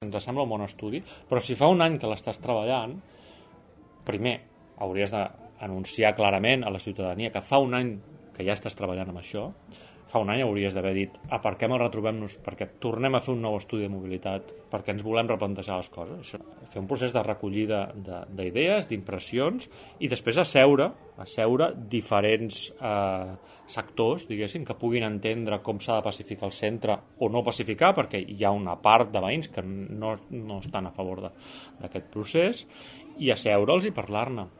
ens sembla un bon estudi, però si fa un any que l'estàs treballant, primer hauries d'anunciar clarament a la ciutadania que fa un any que ja estàs treballant amb això. Fa un any hauries d'haver dit aparquem el retrobem-nos perquè tornem a fer un nou estudi de mobilitat, perquè ens volem replantejar les coses. Això, fer un procés de recollida d'idees, d'impressions, i després asseure diferents sectors, diguéssim, que puguin entendre com s'ha de pacificar el centre o no pacificar, perquè hi ha una part de veïns que no estan a favor d'aquest procés, i asseure'ls i parlar-ne.